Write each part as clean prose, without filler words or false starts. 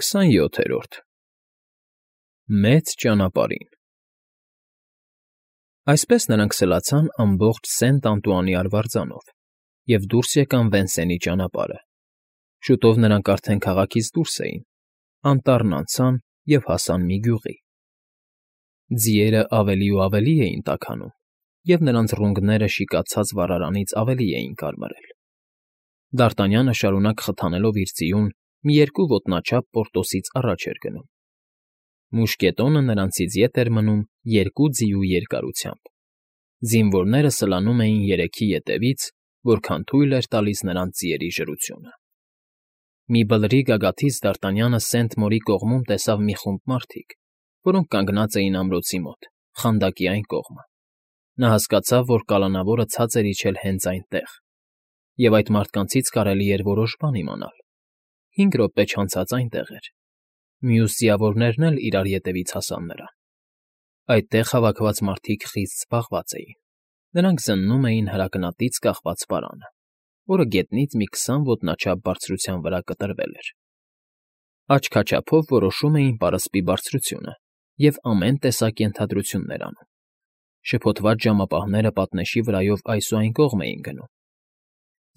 27-րդ Մեծ ճանապարհին Այսպես նրանք սլացան ամբողջ Սենտ Անտուանի արվարձանով և դուրս եկան Վենսենի ճանապարհը. շուտով նրանք արդեն քաղաքից դուրս էին, անտառն անցան և հասան մի գյուղի. ձիերն ավելի ու ավելի էին տաքանում, և նրանց ռունգները շիկացած վառարանից ավելի էին կարմրել. Դարտանյանը շարունակ խթանելով իր ձիուն, մի երկու ոտնաչափ Պորտոսից առաջ էր գնում. մուշկետոնը նրանցից ետ էր մնում 2 ձիու երկարությամբ. զինվորները սլանում էին երեքի ետևից, որքան թույլ էր տալիս նրանց ձիերի ժրությունը. Մի բլրի գագաթից Դարտանյանը Սենտ-Մորի կողմում տեսավ մի խումբ մարդիկ, որոնք կանգնած էին ամրոցի մոտ, խանդակի այն կողմը. նա հասկացավ, որ կալանավորը ցած էր իջել հենց այնտեղ, և այդ մարդկանցից կարելի էր որոշ բան իմանալ. 5 րոպե չանցած այնտեղ էր. մյուս ձիավորներն էլ իրար ետևից հասան նրան. այդտեղ հավաքված մարդիկ խիստ զբաղված էին. նրանք զննում էին հրակնատից կախված պարանը, որը գետնից մի 20 ոտնաչափ բարձրության վրա կտրվել էր. Աչքաչափով որոշում էին պարսպի բարձրությունը և ամեն տեսակ ենթադրություններ անում. շփոթված ժամապահները պատնեշի վրայով այս ու այն կողմ էին գնում.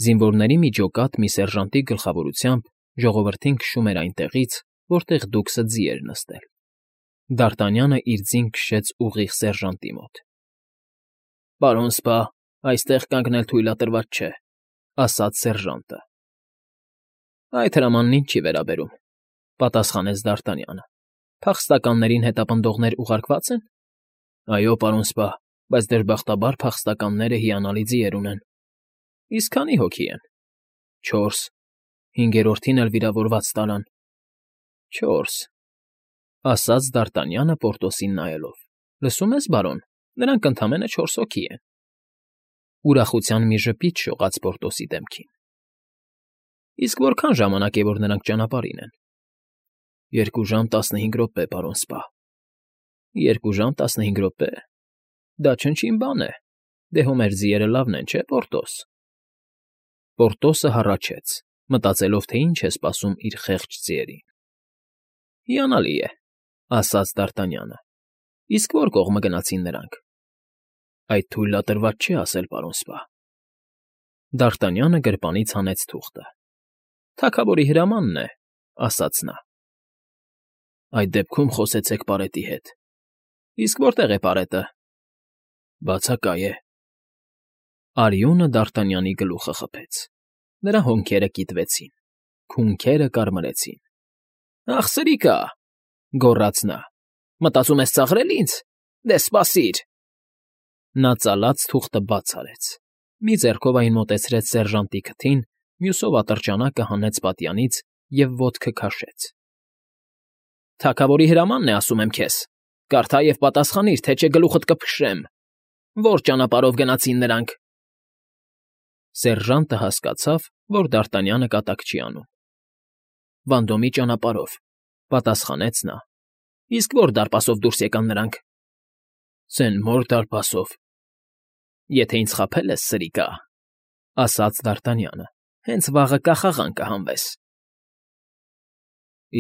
Զինվորների մի ջոկատ մի սերժանտի գլխավորությամբ ժողովրդին քշում էր այնտեղից, որտեղ դուքսը ձի էր նստել. Դարտանյանը իր ձին քշեց ուղիղ սերժանտի մոտ. «Պարոն սպա, այստեղ կանգնել թույլատրված չէ», ասաց սերժանտը։ «Այդ հրամանն ինձ չի վերաբերում», պատասխանեց Դարտանյանը։ «Փախստականներին հետապնդողներ ուղարկվա՞ծ են»։ «Այո, պարոն սպա, բայց դժբախտաբար փախստականները հիանալի ձիեր ունեն»։ «Իսկ քանի՞ հոգի են»։ «4, 5-րդին էլ վիրավորված տարան»։ «4», ասաց Դարտանյանը Պորտոսին նայելով։ «Լսում ես, բարոն, նրանք ընդամենը 4 հոգի են»։ Ուրախության մի ժպիտ շողաց Պորտոսի դեմքին։ «Իսկ որքան ժամանակ է, որ նրանք ճանապարհին են»։ 2 ժամ 15 րոպե, պարոն սպա։ 2 ժամ 15 րոպե… Դա չնչին բան է, դե հո մեր ձիերը լավն են, չէ՞, Պորտոս։ Պորտոսը հառաչեց, մտածելով, թե ինչ է սպասում իր խեղճ ձիերին։ «Հիանալի է», ասաց Դարտանյանը։ «Իսկ ո՞ր կողմը գնացին նրանք»։ «Այդ թույլատրված չէ ասել, պարոն սպա»։ Դարտանյանը գրպանից հանեց թուղթը։ «Թագավորի հրամանն է», ասաց նա։ «Այդ դեպքում խոսեցեք պարետի հետ»։ «Իսկ որտե՞ղ է պարետը»։ «Բացակայ է»։ Արյունը Դարտանյանի գլուխը խփեց։ Նրա հոնքերը կիտվեցին, քունքերը կարմրեցին։ «Ախ, սրիկա՜», գոռաց նա, «մտածում ես ծաղրել ինձ։ Դե սպասիր»։ Նա ծալած թուղթը բաց արեց, մի ձեռքով այն մոտեցրեց սերժանտի քթին, մյուսով ատրճանակը հանեց պատյանից և ոտքը քաշեց։ «Թագավորի հրամանն է, ասում եմ քեզ. կարդա և պատասխանիր, թե չէ գլուխդ կփշրեմ։ Ո՞ր ճանապարհով գնացին նրանք»։ Սերժանտը հասկացավ, որ Դարտանյանը կատակ չի անում։ «Վանդոմի ճանապարհով», պատասխանեց նա։ «Իսկ ո՞ր դարպասով դուրս եկան նրանք»։ «Սեն֊Մոր դարպասով»։ «Եթե ինձ խաբել ես, սրիկա», ասաց Դարտանյանը, «հենց վաղը կախաղան կհանվես»։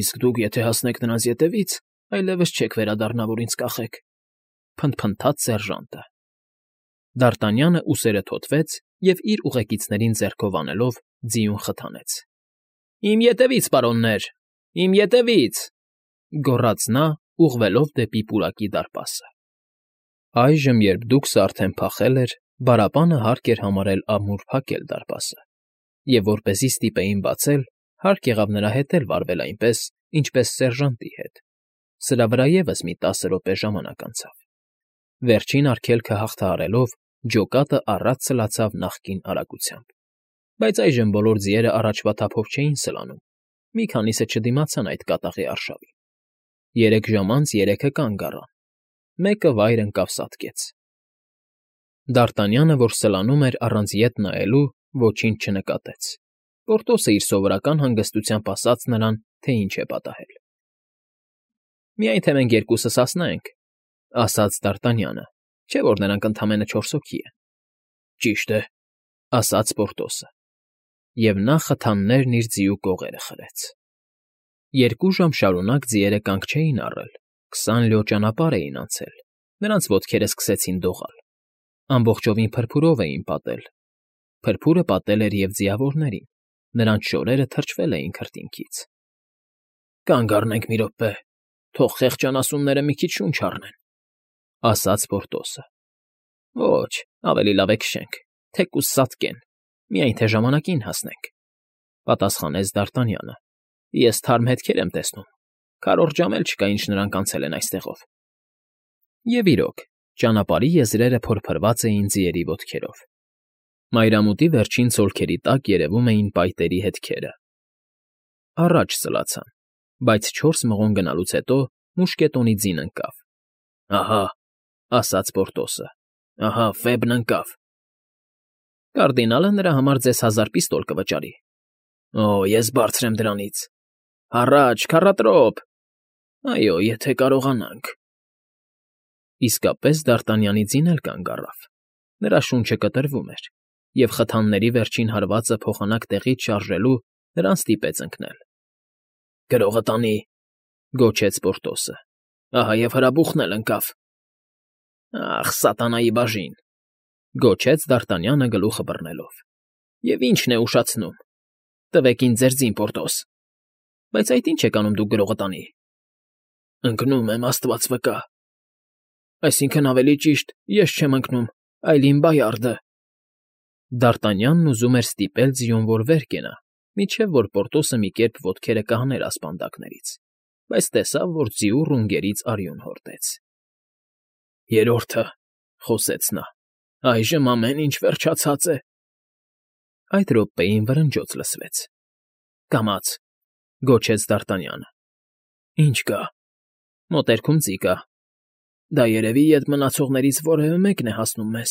«Իսկ դուք եթե հասնեք նրանց ետևից, այլևս չեք վերադառնա, որ ինձ կախեք», փնթփնթաց սերժանտը։ Դարտանյանը ուսերը թոթվեց և իր ուղեկիցներին ձեռքով անելով ձիուն խթանեց։ «Իմ ետևից, պարոններ, իմ ետևից», գոռաց նա, ուղղվելով դեպի պուրակի դարպասը։ Այժմ, երբ դուքսը արդեն փախել էր, բարապանը հարկ էր համարել ամուր փակել դարպասը, և որպեսզի ստիպեին բացել, հարկ եղավ նրա հետ էլ վարվել այնպես, ինչպես սերժանտի հետ։ Սրա վրա ևս մի 10 րոպե ժամանակ անցավ։ Վերջին արգելքը հաղթահարելով, ջոկատը առատ սլացավ նախկին արագությամբ։ Բայց այժմ բոլոր ձիերը առաջվա թափով չէին սլանում, մի քանիսը չդիմացան այդ կատաղի արշավին։ 3 ժամ անց 3-ը կանգ առան, մեկը վայր ընկավ սատկեց։ Դարտանյանը, որ սլանում էր առանց ետ նայելու, ոչինչ չնկատեց։ Պորտոսը իր սովորական հանգստությամբ ասաց նրան, թե ինչ է պատահել։ «Միայն թե մենք երկուսս հասնենք», ասաց Դարտանյանը, «չէ՞ որ նրանք ընդամենը 4 հոգի են»։ «Ճիշտ է», ասաց Պորտոսը։ Եվ նա խթաններն իր ձիու կողերը խրեց։ 2 ժամ շարունակ ձիերը կանգ չէին առել, 20 լյո ճանապարհ էին անցել, նրանց ոտքերը սկսեցին դողալ, ամբողջովին փրփուրով էին պատել, փրփուրը պատել էր և ձիավորներին, նրանց շորերը թրջվել էին քրտինքից։ «Կանգ առնենք մի րոպե, թող խեղճ անասունները մի քիչ շունչ առնեն», ասաց Պորտոսը։ «Ոչ, ավելի լավ է քշենք, թեկուզ սատկեն, միայն թե ժամանակին հասնենք», պատասխանեց Դ'Արտանյանը։ «Ես թարմ հետքեր եմ տեսնում, քառորդ ժամ էլ չկա, ինչ նրանք անցել են այստեղով»։ Եվ իրոք, ճանապարհի եզրերը փորփրված էին ձիերի ոտքերով։ Մայրամուտի վերջին ցոլքերի տակ երևում էին պայտերի հետքերը։ Առաջ սլացան, բայց 4 մղոն գնալուց հետո մուշկետոնի ձին ընկավ։ «Ահա», ասաց Պորտոսը, «ահա Ֆեբն ընկավ»։ «Կարդինալը նրա համար ձեզ 1000 պիստոլ կվճարի»։ «Օ, ես բարձր եմ դրանից»։ «Առաջ, քառատրոփ»։ «Այո, եթե կարողանանք»։ Իսկապես Դ'Արտանյանի ձին էլ կանգ առավ։ Նրա շունչը կտրվում էր, և խթանների վերջին հարվածը փոխանակ տեղից շարժելու նրան ստիպեց ընկնել։ «Գրողը տանի», գոչեց Պորտոսը։ «Ահա և հրաբուխն էլ ընկավ»։ «Ախ, սատանայի բաժին», գոչեց Դ'Արտանյանը գլուխը բռնելով։ «Եվ ի՞նչն է ուշացնում։ Տվեք ինձ ձեր ձին, Պորտոս»։ «Բայց այդ ի՞նչ եք անում դուք գրողը տանի»։ «Ընկնում եմ, Աստված վկա»։ «Այսինքն, ավելի ճիշտ, ես չեմ ընկնում, այլ իմ բայարդը»։ Դ'Արտանյանն ուզում էր ստիպել ձիուն, որ վեր կենա, մինչև որ Պորտոսը մի կերպ ոտքերը կհաներ ասպանդակներից, բայց տեսավ, որ ձիու ռունգներից արյուն հորդեց։ «Երրորդը», խոսեց նա, «այժմ ամեն ինչ վերջացած է»։ Այդ րոպեին վրնջոց լսվեց։ «Կամաց», գոչեց Դ'Արտանյանը։ «Ինչ կա»։ «Մոտերքում ձի կա»։ «Դա երևի ետ մնացողներից որևէ մեկն է հասնում մեզ»։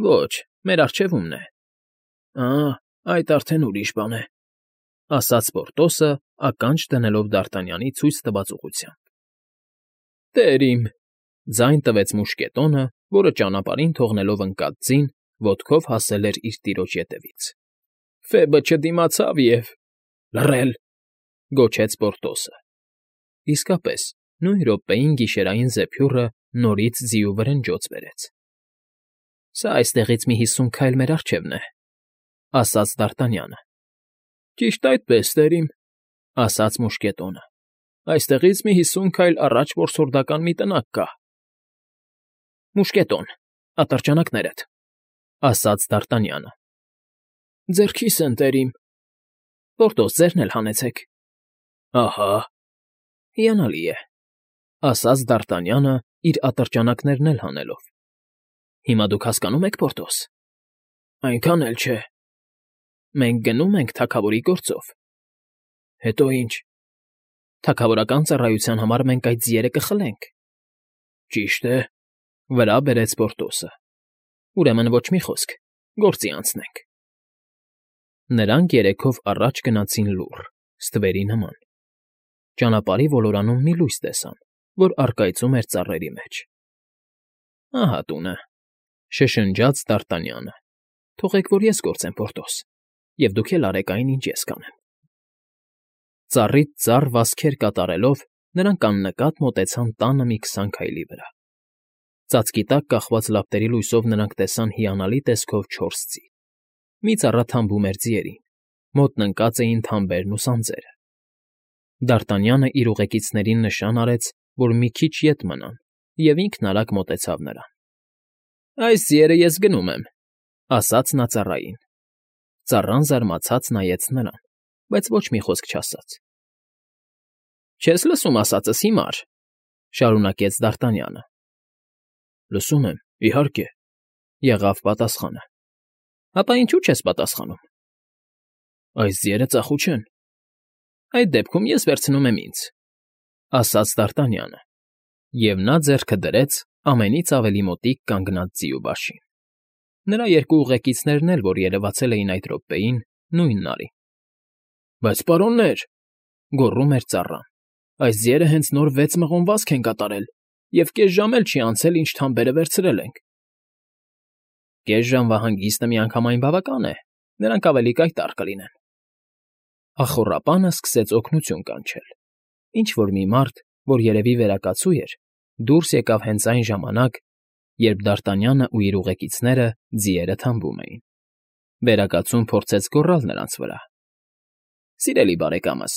«Ոչ, մեր առջևումն է»։ Այդ արդեն ուրիշ բան է», ասաց Պորտոսը, ականջ դնելով Դ'Արտանյանի ցույց տված ուղղությամբ։ «Տեր իմ», ձայն տվեց մուշկետոնը, որը ճանապարհին թողնելով ընկած ձին, ոտքով հասել էր իր տիրոջ ետևից։ «Ֆեբը չդիմացավ և…»։ «Լռել», գոչեց Պորտոսը։ Իսկապես, նույն րոպեին գիշերային զեփյուռը նորից ձիու վրնջոց բերեց։ «Սա այստեղից մի 50 քայլ մեր առջևն է», ասաց Դ'Արտանյանը։ «Ճիշտ այդպես, տեր իմ», ասաց մուշկետոնը։ «Այստեղից մի 50 քայլ առաջ որսորդական մի տնակ կա»։ «Մուշկետոն, ատրճանակներդ», ասաց Դ'Արտանյանը։ «Ձեռքիս են, տեր իմ»։ «Պորտոս, ձերն էլ հանեցեք»։ «Ահա»։ «Հիանալի է», ասաց Դ'Արտանյանը, իր ատրճանակներն էլ հանելով։ «Հիմա դուք հասկանում եք, Պորտոս»։ «Այնքան էլ չէ»։ «Մենք գնում ենք թագավորի գործով»։ «Հետո ինչ»։ «Թագավորական ծառայության համար մենք այդ ձիերը կխլենք»։ «Ճիշտ է», վրա բերեց Պորտոսը։ «Ուրեմն ոչ մի խոսք, գործի անցնենք»։ Նրանք երեքով առաջ գնացին լուռ, ստվերի նման։ Ճանապարհի ոլորանում մի լույս տեսան, որ առկայծում էր ծառերի մեջ։ «Ահա տունը», շշնջաց Դ'Արտանյանը։ «Թողեք, որ ես գործեմ, Պորտոս, և դուք էլ արեք այն, ինչ ես կանեմ»։ Ծառից ծառ վազքեր կատարելով՝ նրանք աննկատ մոտեցան տանը մի 20 քայլի վրա։ Ծածկի տակ կախված լապտերի լույսով նրանք տեսան հիանալի տեսքով 4 ձի։ Մի ծառա թամբում էր ձիերին, մոտն ընկած էին թամբերն ու սանձերը։ Դ'Արտանյանը իր ուղեկիցներին նշան արեց, որ մի քիչ ետ մնան, և ինքն արագ մոտեցավ նրան։ «Այս ձիերը ես գնում եմ», ասաց նա ծառային։ Ծառան զարմացած նայեց նրան, բայց ոչ մի խոսք չասաց։ «Չես լսում ասածս, հիմար», շարունակեց Դ'Արտանյանը։ «Լսում եմ, իհարկե», եղավ պատասխանը։ «Ապա ինչու չես պատասխանում»։ «Այս ձիերը ծախու չեն»։ «Այդ դեպքում ես վերցնում եմ ինձ», ասաց Դ'Արտանյանը, և նա ձեռքը դրեց ամենից ավելի մոտիկ կանգնած ձիու բաշին։ Նրա երկու ուղեկիցներն էլ, որ երևացել էին այդ րոպեին, նույնն արին։ «Բայց պարոններ», գոռում էր ծառան, «այս ձիերը հենց նոր 6 մղոն վազք են կատարել, և կես ժամ էլ չի անցել, ինչ թամբերը վերցրել ենք»։ «Կես ժամվա հանգիստը միանգամայն բավական է, նրանք ավելի կայտառ կլինեն»։ Ախոռապանը սկսեց օգնություն կանչել։ Ինչ-որ մի մարդ, որ երևի վերակացու էր, դուրս եկավ հենց այն ժամանակ, երբ Դարտանյանը ու իր ուղեկիցները ձիերը թամբում էին։ Վերակացուն փորձեց գոռալ նրանց վրա. «Սիրելի բարեկամս,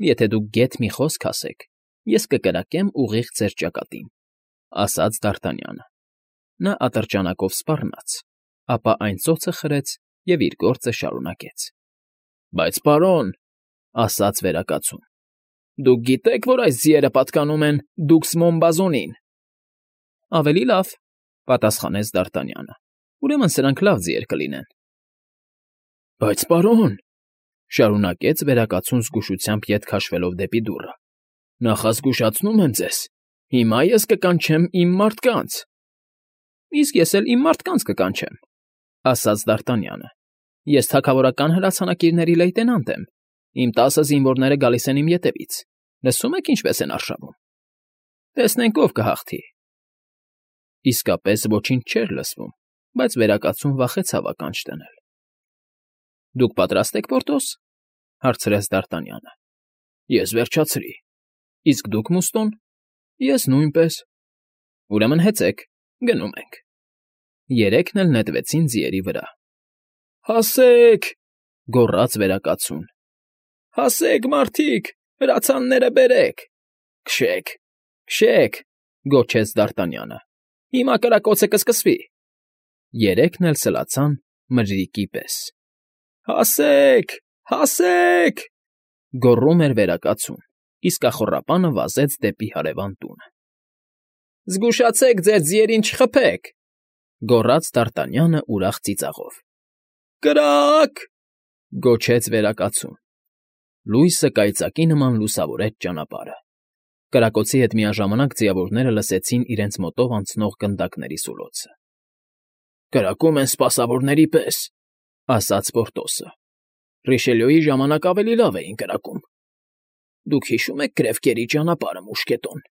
եթե դուք գեթ մի խոսք ասեք, ես կկրակեմ ուղիղ ձեր ճակատին», ասաց Դարտանյանը։ Նա ատրճանակով սպառնաց, ապա այն ծոցը խրեց և իր գործը շարունակեց։ «Բայց, պարոն,» ասաց վերակացուն, «դուք գիտեք, որ այս ձիերը պատկանում են Դուքս Մոմբազոնին»։ «Ավելի լավ,» պատասխանեց Դարտանյանը։ «Ուրեմն սրանք լավ ձիեր կլինեն»։ «Բայց, պարոն,֊ շարունակեց վերակացուն զգուշությամբ ետ քաշվելով դեպի դուռը,֊ նախազգուշացնում եմ ձեզ, հիմա ես կկանչեմ իմ մարդկանց»։ «Իսկ ես էլ իմ մարդկանց կկանչեմ,֊ ասաց Դարտանյանը։ «Ես թագավորական հրացանակիրների լեյտենանտ եմ, իմ 10 զինվորները գալիս են իմ ետևից, լսում եք ինչպես են արշավում։ Տեսնենք ով կհաղթի»։ Իսկապես ոչինչ չէր լսվում, բայց վերակացուն վախեցավ ականջ դնել։ «Դուք պատրաստ եք, Պորտոս,֊ հարցրեց Դարտանյանը։ «Ես վերջացրի։ Իսկ դուք, Մուստոն»։ «Ես նույնպես»։ «Ուրեմն հեծեք, գնում ենք»։ Երեքն էլ նետվեցին ձիերի վրա։ «Հասե՜ք,֊ գոռաց վերակացուն։ «Հասե՜ք, մարդիկ, հրացանները բերեք»։ «Քշեք, քշեք,֊ գոչեց Դարտանյանը։ «Հիմա կրակոցը կսկսվի»։ Երեքն էլ սլացան մրրիկի պես։ «Հասե՜ք, հասե՜ք,֊ գոռում էր վերակացուն, իսկ ախոռապանը վազեց դեպի հարևան տունը։ «Զգուշացեք ձեր ձիերին չխփեք,֊ գոռաց Դարտանյանը ուրախ ծիծաղով։ «Կրա՜կ,֊ գոչեց վերակացուն։ Լույսը կայծակի նման լուսավորեց ճանապարհը։ Կրակոցի հետ միաժամանակ ձիավորները լսեցին իրենց մոտով անցնող գնդակների սուլոցը։ «Կրակում են սպասավորների պես,֊ ասաց Պորտոսը։ «Ռիշելյոյի ժամանակ ավելի լավ էին կրակում։ Դուք հիշո՞ւմ եք Կրևկերի ճանապարհը, մուշկետոն»։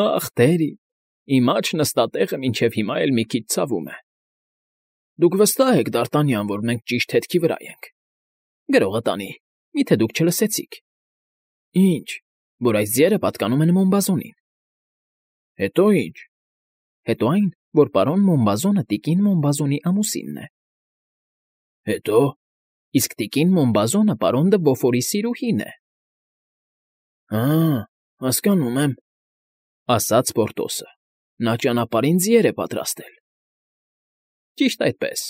«Ախ, տեր իմ, իմ աջ նստատեղը մինչև հիմա էլ մի քիչ ցավում է»։ «Դուք վստահ եք, Դարտանյան, որ մենք ճիշտ հետքի վրա ենք»։ «Գրողը տանի, միթե դուք չլսեցիք»։ «Ինչ, որ այս ձիերը պատկանում են Մոմբազոնին»։ «Հետո ինչ»։ «Հետո այն, որ պարոն Մոմբազոնը տիկին Մոմբազոնի ամուսինն է»։ «Հետո»։ «Իսկ տիկին Մոմբազոնը պարոն դը Բոֆորի սիրուհին է»։ Հասկանում եմ,֊ ասաց Պորտոսը։ «Նա ճանապարհին ձիեր է պատրաստել»։ «Ճիշտ այդպես»։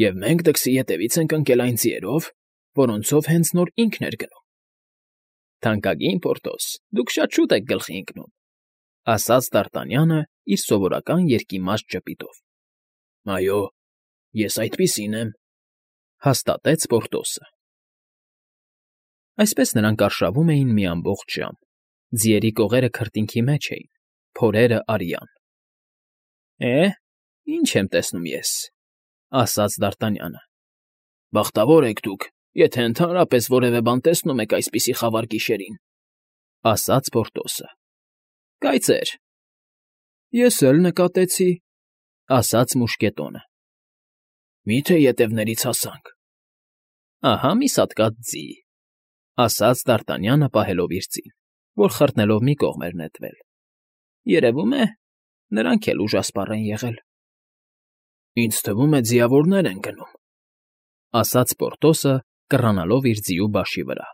«Եվ մենք դքսի ետևից ենք ընկել այն ձիերով, որոնցով հենց նոր ինքն էր գնում»։ «Թանկագին Պորտոս, դուք շատ շուտ եք գլխի ընկնում», ասաց Դարտանյանը իր սովորական երկիմաստ ժպիտով։ «Այո, ես այդպիսին եմ», հաստատեց Պորտոսը։ Այսպես նրանք արշավում էին մի ամբողջ ժամ։ Ձիերի կողերը քրտինքի մեջ էին, փորերը արյան։ Ինչ եմ տեսնում ես,֊ ասաց Դարտանյանը։ «Բախտավոր եք դուք, եթե ընդհանրապես որևէ բան տեսնում եք այսպիսի խավար գիշերին», ասաց Պորտոսը։ «Կայծեր»։ «Ես էլ նկատեցի», ասաց մուշկետոնը։ «Մի՞թե ետևներից հասանք»։ «Ահա մի սատկած ձի», ասաց Դարտանյանը պահելով իր ձին, որ խրտնելով մի կողմ էր նետվել։ «Երևում է, նրանք էլ ուժասպառ են եղել»։ «Ինձ թվում է, ձիավորներ են գնում», ասաց Պորտոսը, կռանալով իր ձիու բաշի վրա։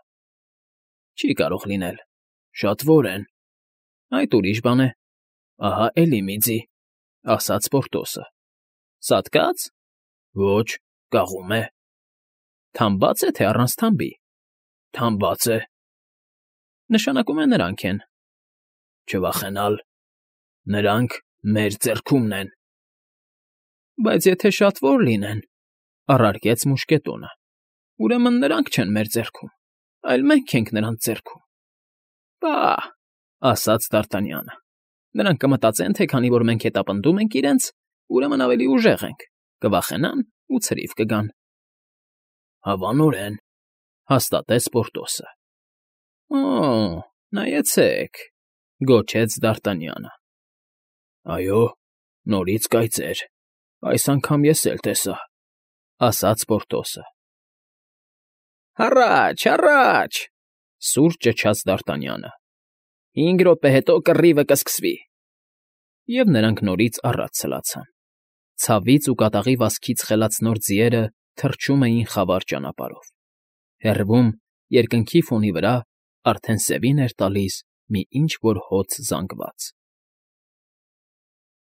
«Չի կարող լինել, շատ որ են»։ «Այդ ուրիշ բան է։ Ահա էլի մի ձի», ասաց Պորտոսը։ «Սատկա՞ծ»։ «Ոչ, կաղում է»։ «Թամբա՞ծ է, թե առանց թամբի»։ «Թամբած է»։ «Նշանակում է նրանք են»։ «Չվախենալ, նրանք մեր ձեռքումն են»։ «Բայց եթե շատ որ լինեն,֊ առարկեց մուշկետոնը,֊ ուրեմն նրանք չեն մեր ձեռքում, այլ մենք ենք նրանց ձեռքում»։ «Պա՜հ,֊ ասաց Դարտանյանը,֊ նրանք կմտածեն, թե քանի որ մենք հետապնդում ենք իրենց, ուրեմն ավելի ուժեղ ենք, կվախենան ու ցրիվ կգան»։ «Հավանորեն», հաստատեց Պորտոսը։ «Օ՜, նայեցեք,֊ գոչեց Դարտանյանը։ «Այո, նորից կայծեր, այս անգամ ես էլ տեսա», ասաց Պորտոսը։ Հառաչ, հառաչ,֊ սուր ճչաց Դարտանյանը։֊ 5 րոպե հետո կռիվը կսկսվի… Եվ նրանք նորից առաջ սլացան. ցավից ու կատաղի վազքից խելացնոր ձիերը թռչում էին խավար ճանապարհով, հեռվում, երկնքի ֆոնի վրա, արդեն սևին էր տալիս մի ինչ֊որ հոծ զանգված։